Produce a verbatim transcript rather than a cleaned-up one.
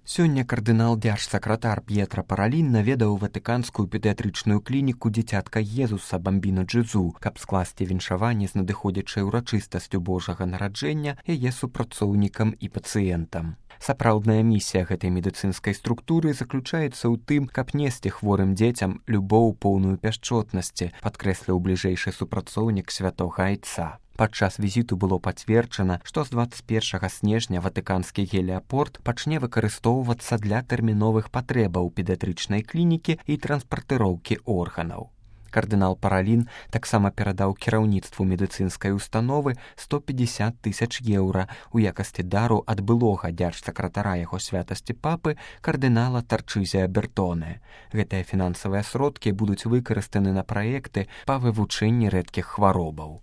Сёння кардынал дзяржсакратар П'етра Паралін наведаў ватыканскую педыятрычную клініку дзіцятка Езуса Бамбіна Джэзу, каб скласці віншаванне з надыходзячай урачыстасцю Божага нараджэння яе супрацоўнікам і пацыентам. Сапраўдная місія гэтай медыцынскай структуры заключаецца ў тым, каб несці хворым дзецям любоў поўную пяшчотнасці, падкрэсліў бліжэйшы супрацоўнік святога айца. Падчас візіту было пацверджана, што з дваццаць першага снежня ватыканскі геліяпорт пачне выкарыстоўвацца для тэрміновых патрэбаў педыятрычнай клінікі і транспартыроўкі органаў. Кардынал Паралін таксама перадаў кіраўніцтву медыцынскай установы сто пятьдесят тысяч еўра у якасці дару ад былога дзяржсакратара яго святасці папы кардынала Тарчызія Бертоне. Гэтыя фінансавыя сродкі будуць выкарыстаны на праекты па вывучэнні рэдкіх хваробаў.